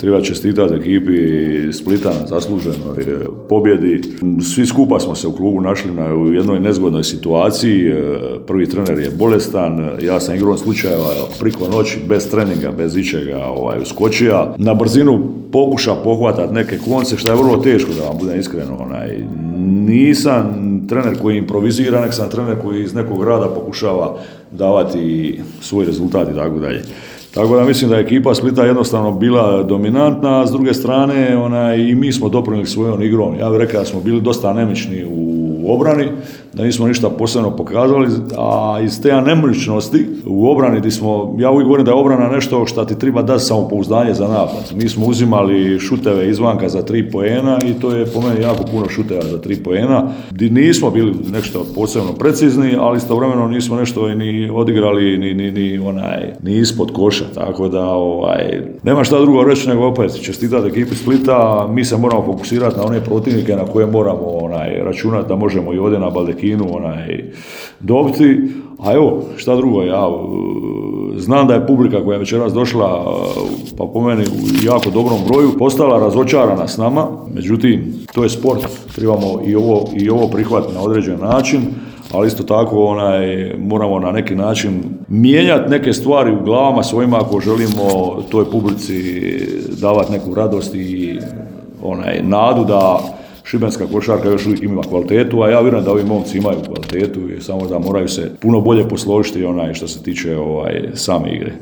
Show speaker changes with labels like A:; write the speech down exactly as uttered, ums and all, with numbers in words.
A: Treba čestitati ekipi Splita na zasluženoj pobjedi. Svi skupa smo se u klubu našli na, u jednoj nezgodnoj situaciji. Prvi trener je bolestan, ja sam igrom slučajeva priko noći, bez treninga, bez ičega ovaj, uskočija. Na brzinu pokuša pohvatati neke konce, što je vrlo teško, da vam budem iskren. Onaj. Nisam trener koji improvizira, nek sam trener koji iz nekog rada pokušava davati svoj rezultat i tako dalje. Tako da mislim da je ekipa Splita jednostavno bila dominantna, a s druge strane ona, i mi smo doprinijeli svojom igrom. Ja bih rekao da smo bili dosta anemični u obrani, da nismo ništa posebno pokazali, a iz te anemičnosti u obrani gdje smo, ja uvijek govorim da je obrana nešto što ti treba dati samopouzdanje za napad. Mi smo uzimali šuteve izvanka za tri poena i to je po meni jako puno šuteva za tri poena, gdje nismo bili nešto posebno precizni, ali istovremeno nismo nešto ni odigrali ni, ni, ni, onaj, ni ispod koša. Tako da ovaj, nema šta drugo reći nego opet čestitati ekipi Splita. Mi se moramo fokusirati na one protivnike na koje moramo onaj, računati da možemo i ovdje na Baldekinu onaj, dobiti. A evo, šta drugo, ja znam da je publika koja je večeras došla, pa po meni u jako dobrom broju, postala razočarana s nama. Međutim, to je sport, trebamo i ovo, i ovo prihvatiti na određen način. Ali isto tako onaj, moramo na neki način mijenjati neke stvari u glavama svojima ako želimo toj publici davati neku radost i onaj, nadu da šibenska košarka još uvijek ima kvalitetu, a ja vjerujem da ovi momci imaju kvalitetu i samo da moraju se puno bolje posložiti onaj što se tiče ovaj, same igre.